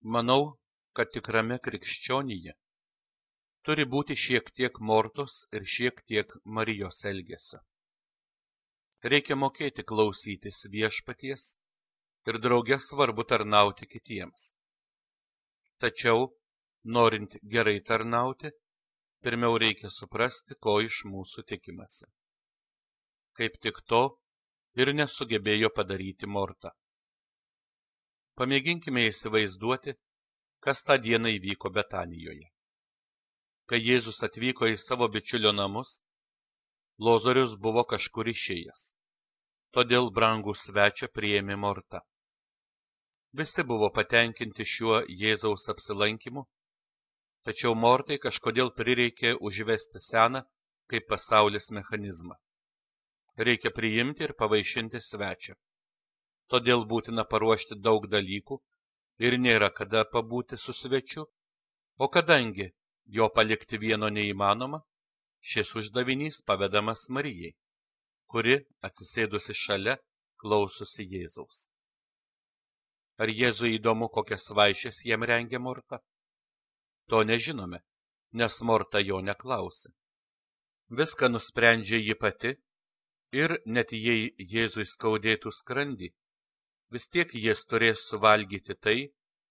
Manau, kad tikrame krikščionyje turi būti šiek tiek Mortos ir šiek tiek Marijos elgesio. Reikia mokėti klausytis viešpaties ir drauge svarbu tarnauti kitiems. Tačiau, norint gerai tarnauti, pirmiau reikia suprasti, ko iš mūsų tikimasi. Kaip tik to ir nesugebėjo padaryti Morta. Pamėginkime įsivaizduoti, kas tą dieną įvyko Betanijoje. Kai Jėzus atvyko į savo bičiulio namus, Lozorius buvo kažkur išėjęs. Todėl brangų svečią priėmė Morta. Visi buvo patenkinti šiuo Jėzaus apsilankimu, tačiau Mortai kažkodėl prireikė užvesti seną kaip pasaulis mechanizmą. Reikia priimti ir pavaišinti svečią. Todėl būtina paruošti daug dalykų ir nėra kada pabūti su svečiu, o kadangi jo palikti vieno neįmanoma, šis uždavinys pavedamas Marijai, kuri, atsisėdusi šalia, klausosi Jėzaus. Ar Jėzui įdomu, kokias vaišes jam rengia Morta? To nežinome, nes Morta jo neklausė. Viską nusprendžia ji pati ir net jei Jėzui skaudėtų skrandį, vis tiek jis turės suvalgyti tai,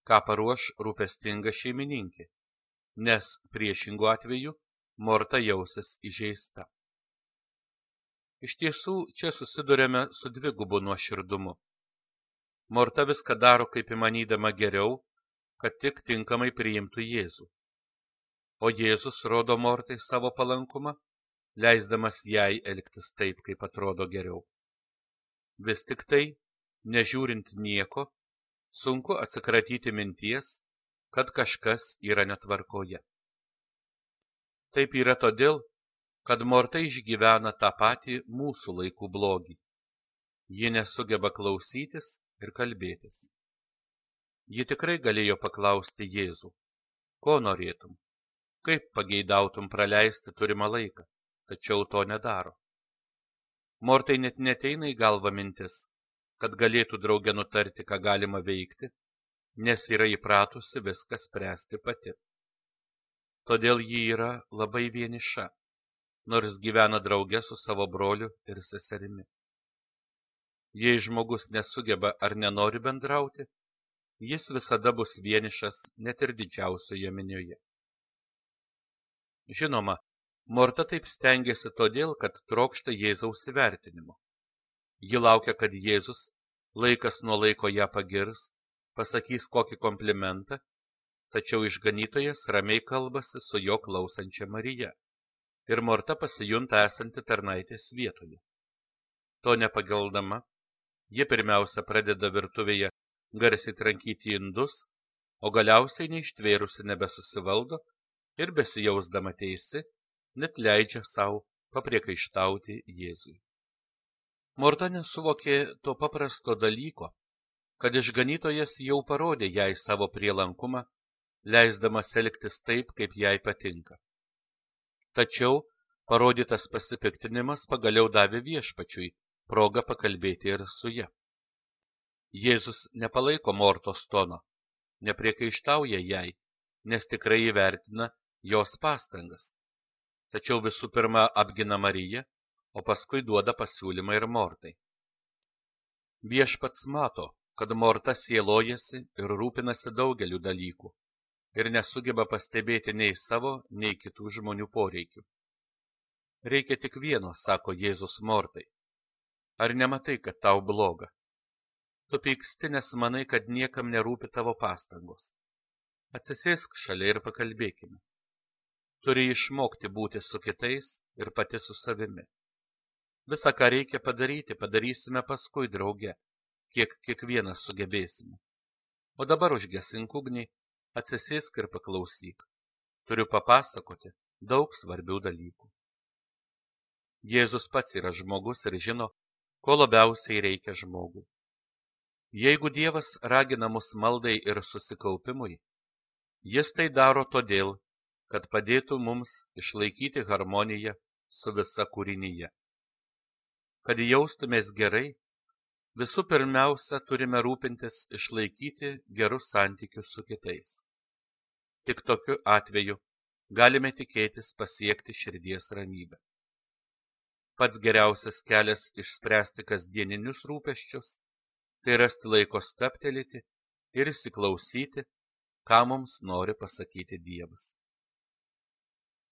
ką paruoš rūpestinga šeimininkė, nes priešingu atveju Morta jausis įžeista. Iš tiesų, čia susidurėme su dvigubu nuoširdumu. Morta viską daro kaip įmanydama geriau, kad tik tinkamai priimtų Jėzų. O Jėzus rodo Mortai savo palankumą, leisdamas jai elgtis taip, kaip atrodo geriau. Vis tik tai, nežiūrint nieko, sunku atsikratyti minties, kad kažkas yra netvarkoje. Taip yra todėl, kad Morta išgyvena tą patį mūsų laikų blogį. Ji nesugeba klausytis ir kalbėtis. Ji tikrai galėjo paklausti Jėzų, ko norėtum, kaip pageidautum praleisti turimą laiką, tačiau to nedaro. Mortai net neteina į galvą mintis, kad galėtų drauge nutarti, ką galima veikti, nes yra įpratusi viską spręsti pati. Todėl ji yra labai vieniša, nors gyvena drauge su savo broliu ir seserimi. Jei žmogus nesugeba ar nenori bendrauti, jis visada bus vienišas net ir didžiausioje minioje. Žinoma, Morta taip stengiasi todėl, kad trokšta Jėzaus įvertinimo. Ji laukia, kad Jėzus laikas nuo laiko ją pagirs, pasakys kokį komplimentą, tačiau išganytojas ramiai kalbasi su jo klausančia Marija ir Morta pasijunta esanti tarnaitės vietoje. To nepageldama, ji pirmiausia pradeda virtuvėje garsiai trankyti indus, o galiausiai neištvėrusi nebesusivaldo ir besijausdama teisi, net leidžia savo papriekaištauti Jėzui. Morta nesuvokė to paprasto dalyko, kad išganytojas jau parodė jai savo prielankumą, leisdamas elgtis taip, kaip jai patinka. Tačiau parodytas pasipiktinimas pagaliau davė viešpačiui progą pakalbėti ir su ja. Jėzus nepalaiko Mortos tono, nepriekaištauja jai, nes tikrai įvertina jos pastangas. Tačiau visų pirma apgina Mariją, o paskui duoda pasiūlymą ir Mortai. Viešpats mato, kad Morta sielojasi ir rūpinasi daugeliu dalykų ir nesugeba pastebėti nei savo, nei kitų žmonių poreikių. Reikia tik vieno, sako Jėzus Mortai. Ar nematai, kad tau bloga? Tu pyksti, nes manai, kad niekam nerūpi tavo pastangos. Atsisėsk šalia ir pakalbėkime. Turi išmokti būti su kitais ir pati su savimi. Visą, ką reikia padaryti, padarysime paskui drauge, kiek kiekvienas sugebėsime. O dabar užgesink ugnį, atsisėsk ir paklausyk. Turiu papasakoti daug svarbių dalykų. Jėzus pats yra žmogus ir žino, ko labiausiai reikia žmogui. Jeigu Dievas ragina mus maldai ir susikaupimui, jis tai daro todėl, kad padėtų mums išlaikyti harmoniją su visa kūrinyje. Kad jaustumės gerai, Visų pirmiausia, turime rūpintis išlaikyti gerus santykius su kitais. Tik tokiu atveju galime tikėtis pasiekti širdies ramybę. Pats geriausias kelias išspręsti kasdieninius rūpesčius – tai rasti laiko stabtelėti ir įsiklausyti, ką mums nori pasakyti Dievas.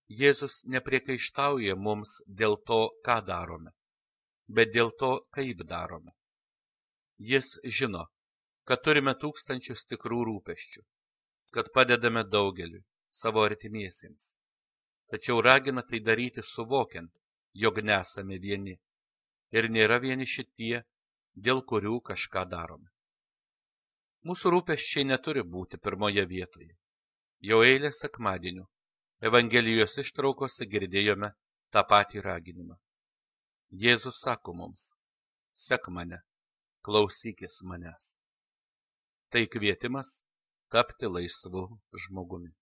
Jėzus nepriekaištauja mums dėl to, ką darome, bet dėl to, kaip darome. Jis žino, kad turime tūkstančius tikrų rūpesčių, kad padedame daugeliui, savo artimiesiems. Tačiau ragina tai daryti suvokiant, jog nesame vieni ir nėra vieniši tie, dėl kurių kažką darome. Mūsų rūpesčiai neturi būti pirmoje vietoje. Jau eilę sekmadienių Evangelijos ištraukose girdėjome tą patį raginimą. Jėzus sako mums: sek mane, klausykis manęs. Tai kvietimas tapti laisvu žmogumi.